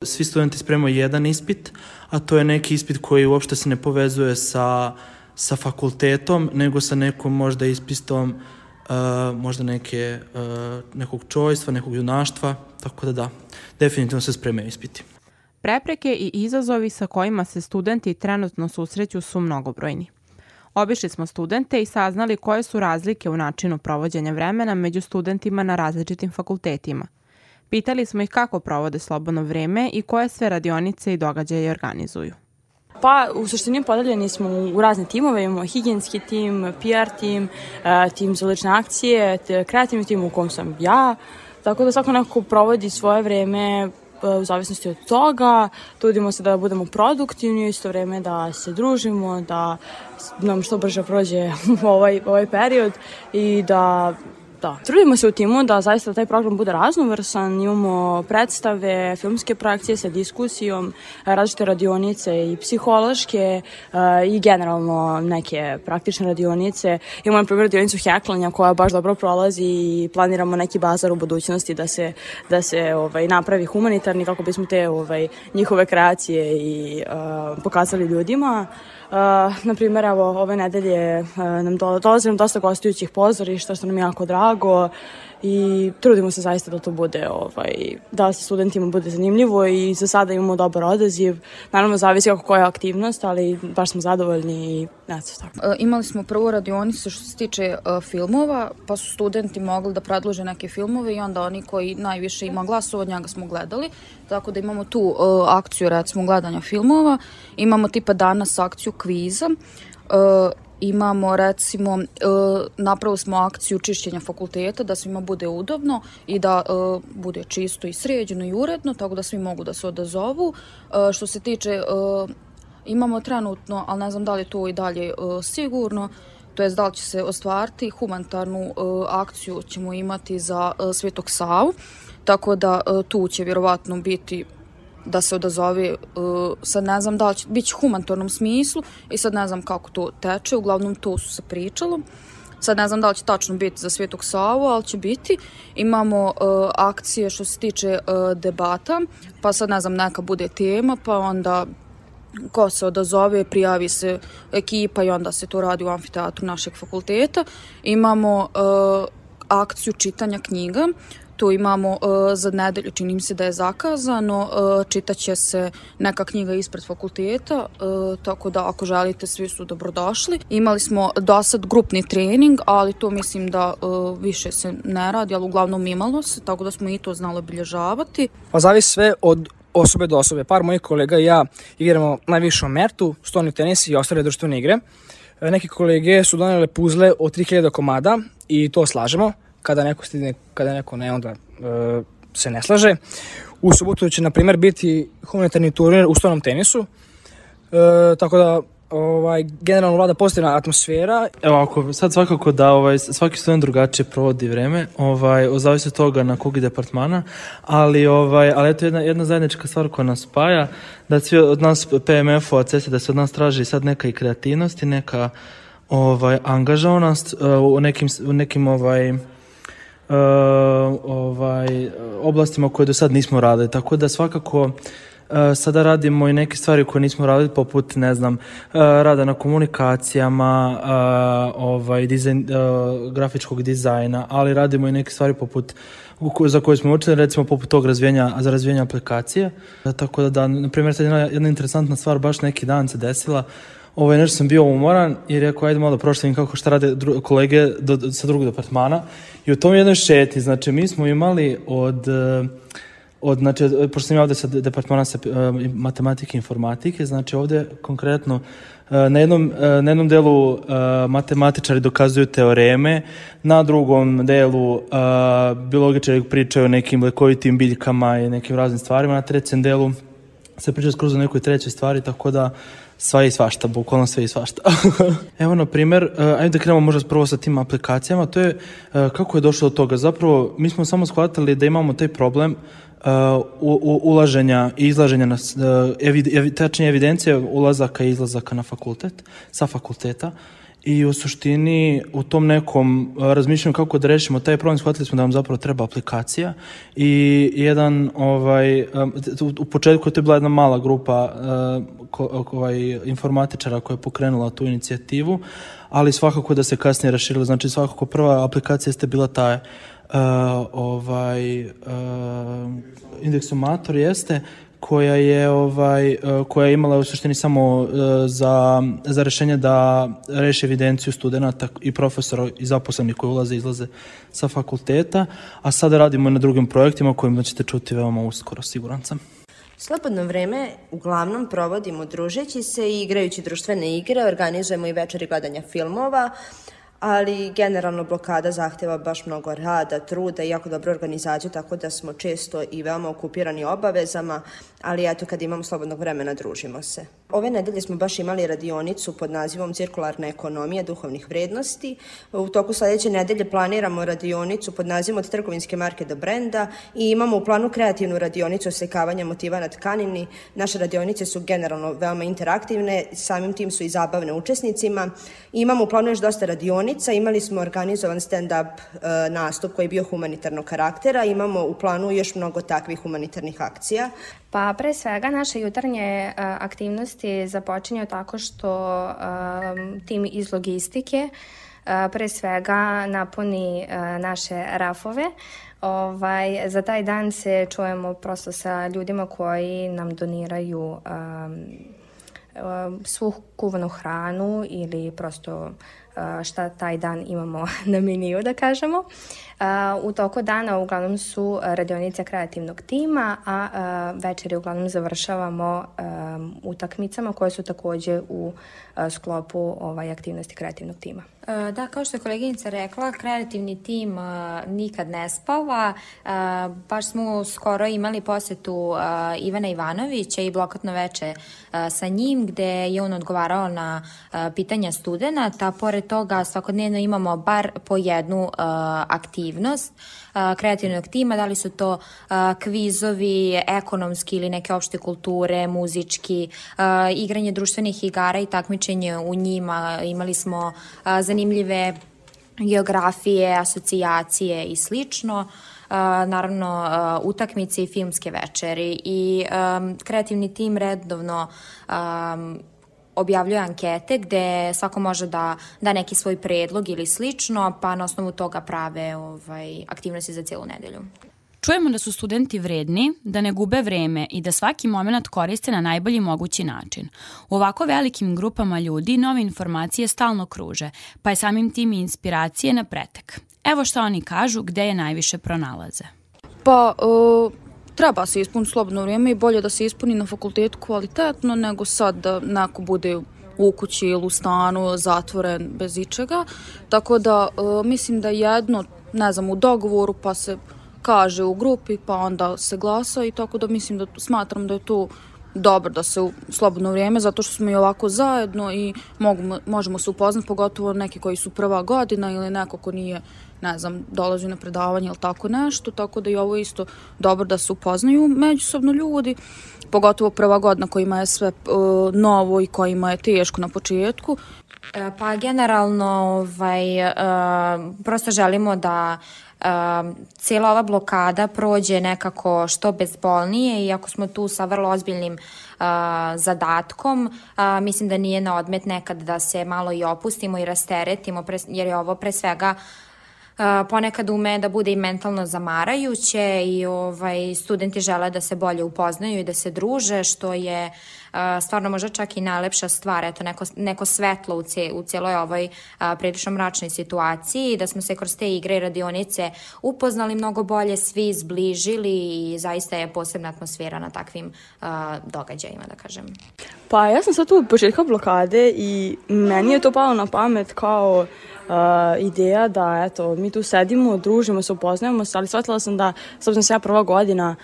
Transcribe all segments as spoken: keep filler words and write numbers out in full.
Svi studenti spremaju jedan ispit, a to je neki ispit koji uopšte se ne povezuje sa, sa fakultetom, nego sa nekom možda ispitom uh, možda neke, uh, nekog čojstva, nekog junaštva, tako da da, definitivno se spremaju ispiti. Prepreke i izazovi sa kojima se studenti trenutno susreću su mnogobrojni. Obišli smo studente i saznali koje su razlike u načinu provođenja vremena među studentima na različitim fakultetima. Pitali smo ih kako provode slobodno vreme i koje sve radionice i događaje organizuju. Pa, u suštini podeljeni smo u razne timove, imamo higijenski tim, P R tim, tim za lične akcije, kreativni tim u kom sam ja, tako da svako nekako provodi svoje vreme u zavisnosti od toga, trudimo se da budemo produktivni, isto vreme da se družimo, da nam što brže prođe ovaj, ovaj period i da Da, trudimo se u timu da zaista taj program bude raznovrsan, imamo predstave, filmske projekcije sa diskusijom, različite radionice i psihološke i generalno neke praktične radionice. Imamo na primjer radionicu heklanja koja baš dobro prolazi i planiramo neki bazar u budućnosti da se, da se ovaj, napravi humanitarni kako bismo te ovaj, njihove kreacije i uh, pokazali ljudima. Uh, na primjer, evo, ove nedelje uh, nam dolazi nam dosta gostujućih pozorišta, što nam je jako drago i trudimo se zaista da to bude, ovaj, da se studentima bude zanimljivo i za sada imamo dobar odaziv. Naravno, zavisi kako koja je aktivnost, ali baš smo zadovoljni i ne znam tako. Uh, imali smo prvu radionicu što se tiče uh, filmova, pa su studenti mogli da predlože neke filmove i onda oni koji najviše ima glasova, njega smo gledali. Tako da imamo tu uh, akciju, recimo, gledanja filmova. Imamo tipa danas akciju kviza. Uh, imamo, recimo, uh, napravili smo akciju čišćenja fakulteta da svima bude udobno i da uh, bude čisto i sređeno i uredno, tako da svi mogu da se odazovu. Uh, što se tiče, uh, imamo trenutno, ali ne znam da li je to i dalje uh, sigurno, to jest da li će se ostvariti, humanitarnu uh, akciju ćemo imati za uh, Svetog Savu. Tako da uh, tu će vjerovatno biti da se odazove, uh, sad ne znam da li će biti u humanitarnom smislu i sad ne znam kako to teče, uglavnom to su se pričalo. Sad ne znam da li će tačno biti za Svetog Savu, ali će biti. Imamo uh, akcije što se tiče uh, debata, pa sad ne znam neka bude tema, pa onda ko se odazove, prijavi se ekipa i onda se to radi u amfiteatru našeg fakulteta. Imamo uh, akciju čitanja knjiga. Tu imamo uh, za nedelju, čini mi se da je zakazano, uh, čitaće se neka knjiga ispred fakulteta, uh, tako da ako želite svi su dobrodošli. Imali smo do sad grupni trening, ali to mislim da uh, više se ne radi, ali uglavnom imalo se, tako da smo i to znali obilježavati. Pa zavisi sve od osobe do osobe. Par mojih kolega i ja igramo najviše o mertu, stolni tenis i ostale društvene igre. Neki kolege su donele puzle od tri hiljade komada i to slažemo. Kada neko stigne, kada neko ne, onda e, se ne slaže. U subotu će, na primjer, biti humanitarni turnir u stolnom tenisu, e, tako da ovaj, generalno vlada pozitivna atmosfera. Evo, ako sad svakako da ovaj, svaki student drugačije provodi vreme, ovaj, zavisi od toga na kog departmana, ali, ovaj, ali eto jedna, jedna zajednička stvar koja nas spaja, da svi od nas P M F-ova, C S, da se od nas traži sad neka i kreativnost i neka ovaj, angažovanost uh, u nekim, u nekim ovaj, Uh, ovaj, oblastima koje do sad nismo radili, tako da svakako uh, sada radimo i neke stvari koje nismo radili, poput, ne znam, uh, rada na komunikacijama, uh, ovaj, dizajn, uh, grafičkog dizajna, ali radimo i neke stvari poput za koje smo učili, recimo poput tog razvijenja, za razvijenje aplikacije. Uh, tako da, da, na primjer, sad jedna, jedna interesantna stvar, baš neki dan se desila. Ovaj, nešto sam bio umoran i rekao, ajde malo da prošlim kako šta rade dru, kolege do, do, sa drugog departmana. I u tom jednoj šeti, znači, mi smo imali od, od znači, pošto sam ja ovde sa departmana sa uh, matematike i informatike, znači ovde konkretno uh, na, jednom, uh, na jednom delu uh, matematičari dokazuju teoreme, na drugom delu uh, biologičari pričaju o nekim lekovitim biljkama i nekim raznim stvarima, na trećem delu se priča skroz o nekoj trećoj stvari, tako da sve i svašta, bukvalno sve i svašta. Evo, na primjer, uh, ajde da krenemo možda prvo sa tim aplikacijama, to je uh, kako je došlo do toga. Zapravo, mi smo samo shvatili da imamo taj problem uh, u, u, ulaženja i izlaženja, na, uh, evi, evi, tačnije evidencije ulazaka i izlazaka na fakultet, sa fakulteta. I u suštini u tom nekom razmišljanju kako da rešimo taj problem, shvatili smo da nam zapravo treba aplikacija i jedan ovaj, u početku to je bila jedna mala grupa ko, ovaj, informatičara koja je pokrenula tu inicijativu, ali svakako da se kasnije raširilo. Znači svakako prva aplikacija jeste bila taj uh, ovaj, uh, indeksomator jeste koja je ovaj koja je imala u suštini samo za za rešenje da reši evidenciju studenata i profesora i zaposlenih koji ulaze i izlaze sa fakulteta, a sada radimo na drugim projektima kojima ćete čuti veoma uskoro, siguran sam. Slobodno vreme uglavnom provodimo družeći se i igrajući društvene igre, organizujemo i večeri gledanja filmova, ali generalno blokada zahteva baš mnogo rada, truda i jako dobru organizaciju, tako da smo često i veoma okupirani obavezama, ali eto kad imamo slobodnog vremena družimo se. Ove nedelje smo baš imali radionicu pod nazivom Cirkularna ekonomija duhovnih vrednosti. U toku sledeće nedelje planiramo radionicu pod nazivom Od trgovinske marke do brenda i imamo u planu kreativnu radionicu oslikavanja motiva na tkanini. Naše radionice su generalno veoma interaktivne, samim tim su i zabavne učesnicima. I imamo u planu još dosta radionica, imali smo organizovan stand-up e, nastup koji je bio humanitarnog karaktera, imamo u planu još mnogo takvih humanitarnih akcija. Pa pre svega naše jutarnje uh, aktivnosti započinju tako što uh, tim iz logistike uh, pre svega napuni uh, naše rafove. Ovaj, za taj dan se čujemo prosto sa ljudima koji nam doniraju um, um, svu kuvanu hranu ili prosto uh, šta taj dan imamo na meniju, da kažemo. Uh, u toku dana uglavnom su radionice kreativnog tima, a uh, večeri uglavnom završavamo um, utakmicama koje su takođe u uh, sklopu ovaj, aktivnosti kreativnog tima. Uh, da, kao što je koleginica rekla, kreativni tim uh, nikad ne spava. Uh, baš smo skoro imali posetu uh, Ivana Ivanovića i blokatno veče uh, sa njim, gde je on odgovarao na uh, pitanja studenata. Pored toga, svakodnevno imamo bar po jednu uh, aktivnost kreativnog tima, da li su to kvizovi, ekonomski ili neke opšte kulture, muzički, igranje društvenih igara i takmičenje u njima. Imali smo zanimljive geografije, asocijacije i slično. Naravno, utakmice i filmske večeri. I kreativni tim redovno objavljuje ankete gde svako može da da neki svoj predlog ili slično, pa na osnovu toga prave ovaj, aktivnosti za cijelu nedelju. Čujemo da su studenti vredni, da ne gube vreme i da svaki moment koriste na najbolji mogući način. U ovako velikim grupama ljudi nove informacije stalno kruže, pa je samim tim i inspiracije na pretek. Evo što oni kažu gde je najviše pronalaze. Pa... Uh... Treba se ispuniti slobodno vrijeme i bolje da se ispuni na fakultetu kvalitetno nego sad da neko bude u kući ili u stanu zatvoren bez ičega. Tako da e, mislim da jedno, ne znam, u dogovoru pa se kaže u grupi pa onda se glasa i tako da mislim da smatram da je to dobro da se u slobodno vrijeme zato što smo i ovako zajedno i mogu, možemo se upoznati, pogotovo neki koji su prva godina ili neko ko nije, ne znam, dolazi na predavanje ili tako nešto, tako da i ovo isto dobro da se upoznaju međusobno ljudi, pogotovo prva godina kojima je sve uh, novo i kojima je teško na početku. Pa generalno ovaj, uh, prosto želimo da Uh, cijela ova blokada prođe nekako što bezbolnije i ako smo tu sa vrlo ozbiljnim uh, zadatkom, uh, mislim da nije na odmet nekad da se malo i opustimo i rasteretimo, pre, jer je ovo pre svega uh, ponekad ume da bude i mentalno zamarajuće i ovaj, studenti žele da se bolje upoznaju i da se druže, što je uh, stvarno možda čak i najlepša stvar, eto neko, neko svetlo u, cije, u cijeloj ovoj uh, prilično mračnoj situaciji, da smo se kroz te igre i radionice upoznali mnogo bolje, svi zbližili i zaista je posebna atmosfera na takvim uh, događajima, da kažem. Pa ja sam sad tu od početka blokade i meni je to palo na pamet kao Uh, ideja da, eto, mi tu sedimo, družimo se, upoznajemo se, ali shvatila sam da, s obzirom se ja prva godina,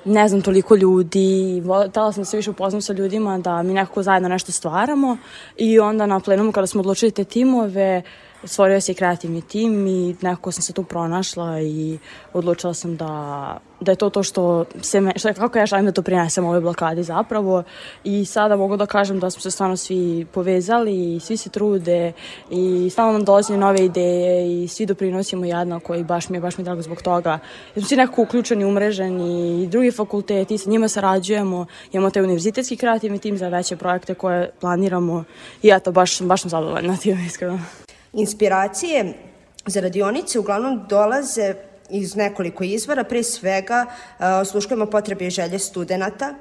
ne znam toliko ljudi, htjela sam da se više upoznam sa ljudima, da mi nekako zajedno nešto stvaramo i onda na plenumu kada smo odlučili te timove, stvorio se i kreativni tim i nekako sam se tu pronašla i odlučila sam da, da je to to što se me, što, kako ja želim da to prinesem ovoj blokadi zapravo i sada mogu da kažem da smo se stvarno svi povezali i svi se trude i stalno nam dolaze nove ideje i svi doprinosimo jednako i baš mi je, baš mi je drago zbog toga. Jer smo svi nekako uključeni, umreženi i drugi fakulteti i sa njima sarađujemo, imamo taj univerzitetski kreativni tim za veće projekte koje planiramo i eto, baš, baš sam zadovoljna tim, iskreno. Inspiracije za radionice uglavnom dolaze iz nekoliko izvora, pre svega osluškujemo potrebe i želje studenta,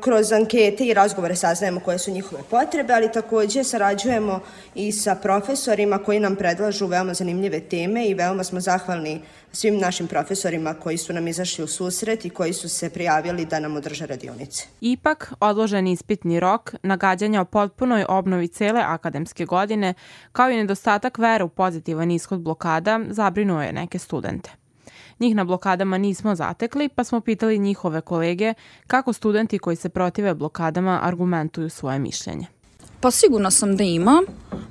kroz ankete i razgovore saznajemo koje su njihove potrebe, ali takođe sarađujemo i sa profesorima koji nam predlažu veoma zanimljive teme i veoma smo zahvalni svim našim profesorima koji su nam izašli u susret i koji su se prijavili da nam održe radionice. Ipak, odložen ispitni rok, nagađanja o potpunoj obnovi cele akademske godine, kao i nedostatak vere u pozitivan ishod blokada, zabrinuo je neke studente. Njih na blokadama nismo zatekli, pa smo pitali njihove kolege kako studenti koji se protive blokadama argumentuju svoje mišljenje. Pa sigurna sam da ima,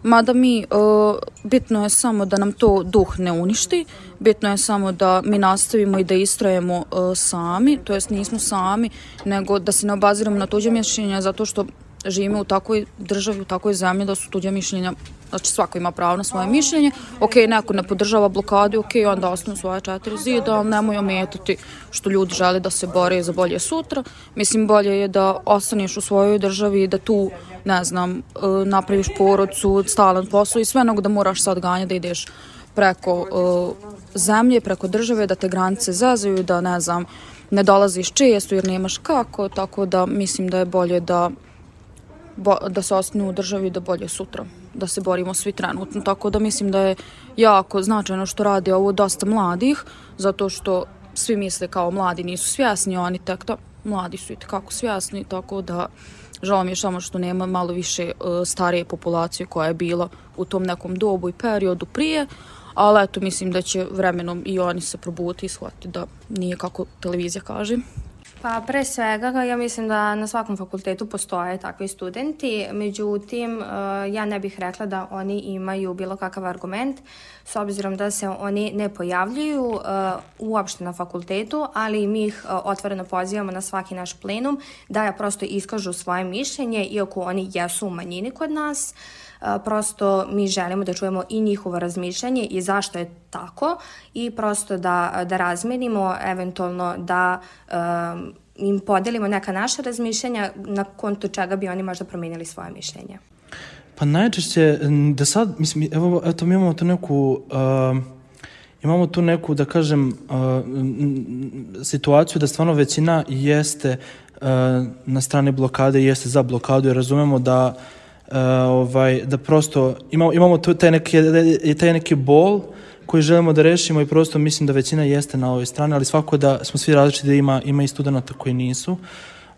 mada mi, uh, bitno je samo da nam to duh ne uništi, bitno je samo da mi nastavimo i da istrajemo uh, sami, to jest nismo sami, nego da se ne obaziramo na tuđe mišljenja, zato što živimo u takvoj državi, u takvoj zemlji da su tuđe mišljenja, znači svako ima pravo na svoje mišljenje, ok, neko ne podržava blokadu, ok, onda ostanu svoje četiri zida, ali nemoj ometati što ljudi žele da se bore za bolje sutra. Mislim, bolje je da ostaneš u svojoj državi i da tu, ne znam, napraviš porodcu, stalan posao i sve, nego da moraš sad ganja da ideš preko uh, zemlje, preko države, da te granice zazaju, da, ne znam, ne dolaziš često jer nemaš kako, tako da mislim da je bolje da da se ostane u državi da bolje sutra, da se borimo svi trenutno, tako da mislim da je jako značajno što radi ovo dosta mladih, zato što svi misle kao mladi nisu svjesni, oni tek to, mladi su i tekako svjesni, tako da žao mi je samo što nema malo više uh, starije populacije koja je bila u tom nekom dobu i periodu prije, ali eto mislim da će vremenom i oni se probuditi i shvatiti da nije kako televizija kaže. Pa pre svega ja mislim da na svakom fakultetu postoje takvi studenti, međutim ja ne bih rekla da oni imaju bilo kakav argument s obzirom da se oni ne pojavljuju uopšte na fakultetu, ali mi ih otvoreno pozivamo na svaki naš plenum da ja prosto iskažu svoje mišljenje, iako oni jesu u manjini kod nas. Prosto mi želimo da čujemo i njihovo razmišljanje i zašto je tako i prosto da, da razmenimo, eventualno da um, im podelimo neka naša razmišljanja na kontu čega bi oni možda promijenili svoje mišljenje. Pa najčešće da sad, mislim, evo, eto mi imamo tu neku, uh, imamo tu neku, da kažem, uh, situaciju da stvarno većina jeste uh, na strani blokade, jeste za blokadu, jer razumemo da Uh, ovaj, da prosto imamo, imamo tu taj neki, taj neki bol koji želimo da rešimo i prosto mislim da većina jeste na ovoj strani, ali svako da smo svi različiti, da ima, ima i studenta koji nisu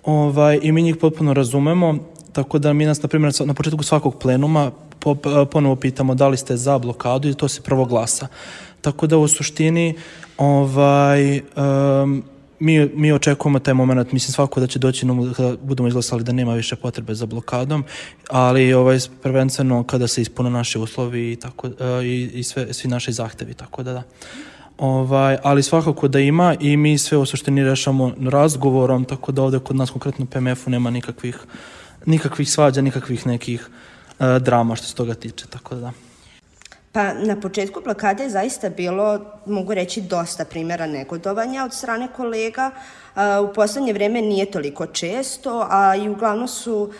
ovaj, i mi njih potpuno razumemo, tako da mi nas, na primjer, na početku svakog plenuma po, ponovo pitamo da li ste za blokadu i to se prvo glasa. Tako da u suštini ovaj, um, Mi, mi očekujemo taj moment, mislim svako da će doći kada budemo izglasali da nema više potrebe za blokadom, ali ovaj, prvenstveno kada se ispune naše uslovi i, tako, i, i sve, svi naši zahtevi, tako da da. Ovaj, ali svakako da ima i mi sve u suštini rešamo razgovorom, tako da ovde kod nas konkretno u P M F-u nema nikakvih, nikakvih svađa, nikakvih nekih uh, drama što se toga tiče, tako da da. Pa na početku blokade je zaista bilo, mogu reći, dosta primjera negodovanja od strane kolega. U poslednje vreme nije toliko često, a i uglavnom su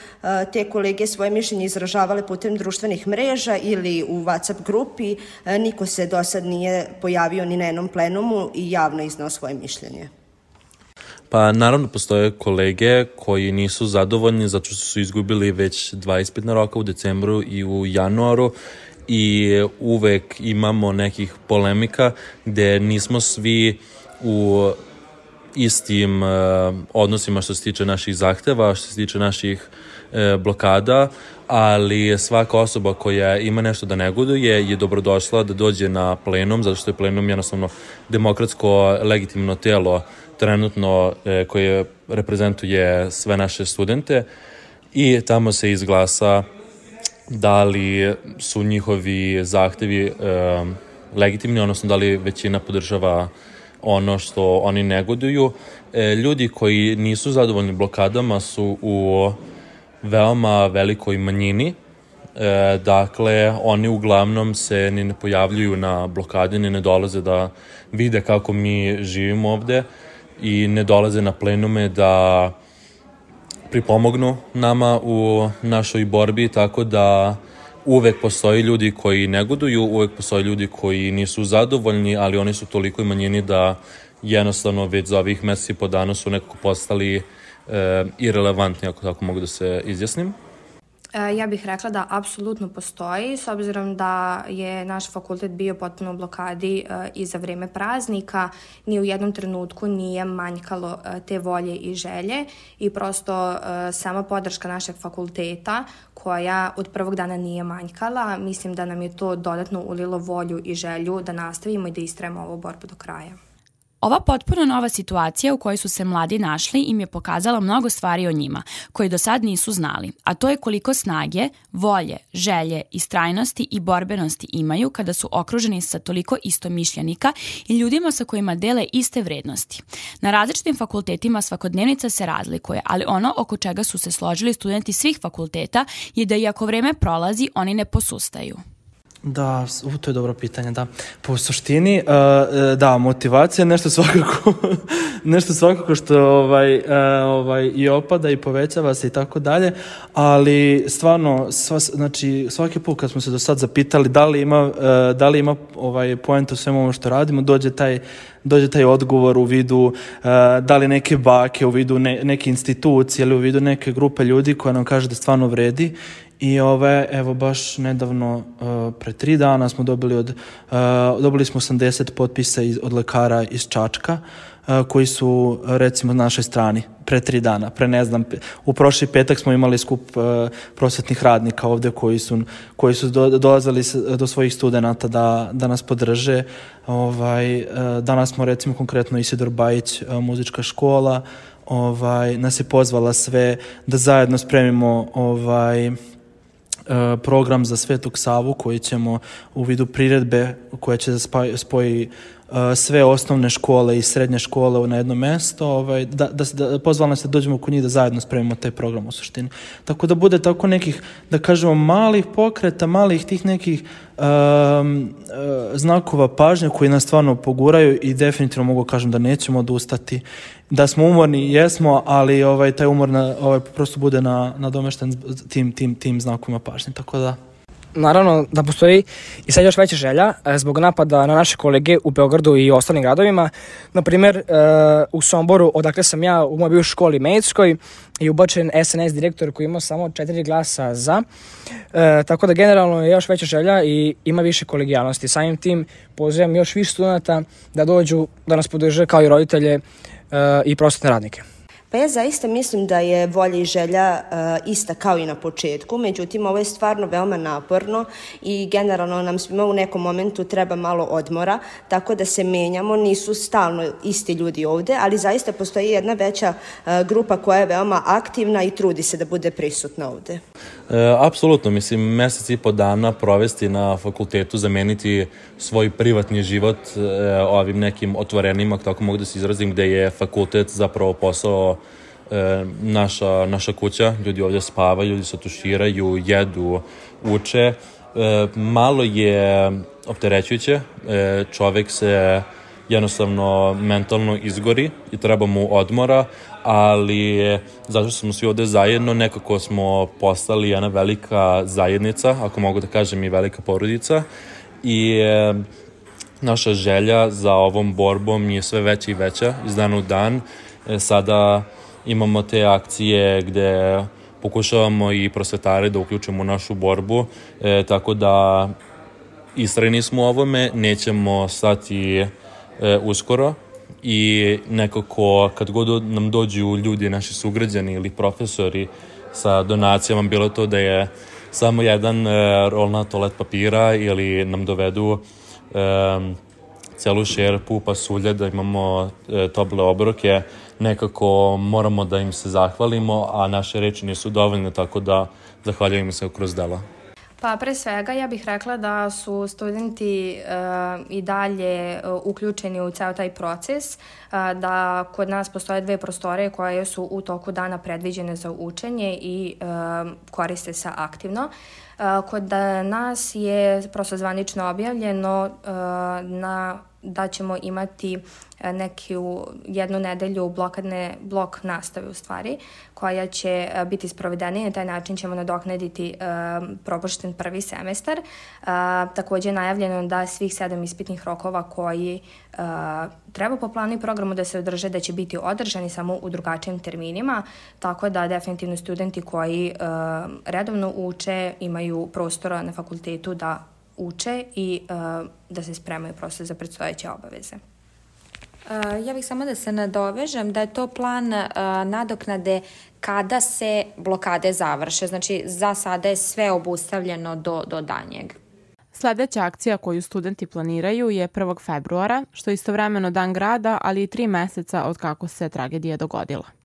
te kolege svoje mišljenje izražavale putem društvenih mreža ili u WhatsApp grupi. Niko se do sad nije pojavio ni na jednom plenumu i javno iznao svoje mišljenje. Pa naravno postoje kolege koji nisu zadovoljni zato što su izgubili već dva ispitna roka u decembru i u januaru, i uvek imamo nekih polemika gde nismo svi u istim uh, odnosima što se tiče naših zahteva, što se tiče naših uh, blokada, ali svaka osoba koja ima nešto da negoduje je dobrodošla da dođe na plenum, zato što je plenum jednostavno demokratsko legitimno telo trenutno uh, koje reprezentuje sve naše studente i tamo se izglasa da li su njihovi zahtevi e, legitimni, odnosno da li većina podržava ono što oni negoduju. E, ljudi koji nisu zadovoljni blokadama su u veoma velikoj manjini. E, dakle, oni uglavnom se ni ne pojavljuju na blokadi, ni ne dolaze da vide kako mi živimo ovde i ne dolaze na plenume da pripomognu nama u našoj borbi, tako da uvek postoji ljudi koji negoduju, uvek postoji ljudi koji nisu zadovoljni, ali oni su toliko i manjini da jednostavno već za ovih meseci i po dana su nekako postali e, irelevantni, ako tako mogu da se izjasnim. Ja bih rekla da apsolutno postoji, s obzirom da je naš fakultet bio potpuno u blokadi i za vreme praznika, ni u jednom trenutku nije manjkalo te volje i želje i prosto sama podrška našeg fakulteta koja od prvog dana nije manjkala, mislim da nam je to dodatno ulilo volju i želju da nastavimo i da istrajemo ovu borbu do kraja. Ova potpuno nova situacija u kojoj su se mladi našli im je pokazala mnogo stvari o njima, koji do sad nisu znali, a to je koliko snage, volje, želje, istrajnosti i borbenosti imaju kada su okruženi sa toliko istomišljenika i ljudima sa kojima dele iste vrednosti. Na različitim fakultetima svakodnevnica se razlikuje, ali ono oko čega su se složili studenti svih fakulteta je da iako vreme prolazi, oni ne posustaju. Da, u, to je dobro pitanje, da. Po suštini, uh, da, motivacija je nešto svakako, nešto svakako što ovaj, uh, ovaj, i opada i povećava se i tako dalje, ali stvarno, sva, znači, svaki put kad smo se do sad zapitali da li ima, uh, da li ima ovaj, poenta u svemu ovo što radimo, dođe taj, dođe taj odgovor u vidu uh, da li neke bake, u vidu ne, neke institucije ili u vidu neke grupe ljudi koja nam kaže da stvarno vredi. I ove, evo baš nedavno, uh, pre tri dana smo dobili od, uh, dobili smo osamdeset potpisa iz, od lekara iz Čačka, uh, koji su recimo na našoj strani pre tri dana, pre ne znam, u prošli petak smo imali skup uh, prosvetnih radnika ovde koji su, koji su do, dolazili do svojih studenata da, da nas podrže. Ovaj, uh, danas smo recimo konkretno Isidor Bajić, uh, muzička škola, ovaj, nas je pozvala sve da zajedno spremimo ovaj, program za Svetog Savu koji ćemo u vidu priredbe koja će da spoji uh, sve osnovne škole i srednje škole na jedno mesto, ovaj, da, da, da pozvala nas da dođemo kod njih da zajedno spremimo taj program u suštini. Tako da bude tako nekih, da kažemo, malih pokreta, malih tih nekih um, uh, znakova pažnje koji nas stvarno poguraju i definitivno mogu kažem da nećemo odustati. Da smo umorni, jesmo, ali ovaj, taj umor na, ovaj, prosto bude na, nadomešten tim, tim, tim znakovima pažnje, tako da... Naravno da postoji i sad još veća želja zbog napada na naše kolege u Beogradu i ostalim gradovima. Naprimer, u Somboru, odakle sam ja, u mojoj bivšoj školi medicinskoj, je ubačen S N S direktor koji ima samo četiri glasa za. E, tako da generalno je još veća želja i ima više kolegijalnosti. Samim tim pozivam još više studenta da dođu, da nas podrže kao i roditelje e, i prosvetne radnike. Pa ja zaista mislim da je volja i želja uh, ista kao i na početku, međutim ovo je stvarno veoma naporno i generalno nam svima u nekom momentu treba malo odmora, tako da se menjamo, nisu stalno isti ljudi ovde, ali zaista postoji jedna veća uh, grupa koja je veoma aktivna i trudi se da bude prisutna ovde. E, apsolutno, mislim, mesec i po dana provesti na fakultetu, zameniti svoj privatni život e, ovim nekim otvorenima, tako mogu da se izrazim, gde je fakultet zapravo posao e, naša, naša kuća, ljudi ovdje spavaju, ljudi se tuširaju, jedu, uče. E, malo je opterećujuće, e, čovek se jednostavno mentalno izgori i treba mu odmora, ali zato što smo svi ovde zajedno, nekako smo postali jedna velika zajednica, ako mogu da kažem i velika porodica, i e, naša želja za ovom borbom je sve veća i veća iz dana u dan. E, sada imamo te akcije gde pokušavamo i prosvetare da uključimo u našu borbu, e, tako da istrajni smo u ovome, nećemo stati e, uskoro. I nekako kad god nam dođu ljudi, naši sugrađani ili profesori sa donacijama, bilo to da je samo jedan e, rolna toalet papira ili nam dovedu e, celu šerpu pasulja da imamo e, tople obroke, nekako moramo da im se zahvalimo, a naše reči nisu dovoljne, tako da zahvaljujemo se kroz dela. Pa pre svega ja bih rekla da su studenti uh, i dalje uh, uključeni u ceo taj proces, uh, da kod nas postoje dve prostore koje su u toku dana predviđene za učenje i uh, koriste se aktivno. Uh, kod nas je prosto zvanično objavljeno uh, na da ćemo imati neku jednu nedelju blokadne, blok nastave u stvari, koja će biti sprovedena i na taj način ćemo nadoknaditi uh, propušten prvi semestar. Uh, takođe je najavljeno da svih sedam ispitnih rokova koji uh, treba po planu i programu da se održe, da će biti održani samo u drugačijim terminima, tako da definitivno studenti koji uh, redovno uče imaju prostora na fakultetu da uče i uh, da se spremaju prosto za predstojeće obaveze. Uh, ja bih samo da se nadovežem da je to plan uh, nadoknade kada se blokade završe. Znači, za sada je sve obustavljeno do, do danjeg. Sledeća akcija koju studenti planiraju je prvog februara, što je istovremeno dan grada, ali i tri meseca od kako se tragedija dogodila.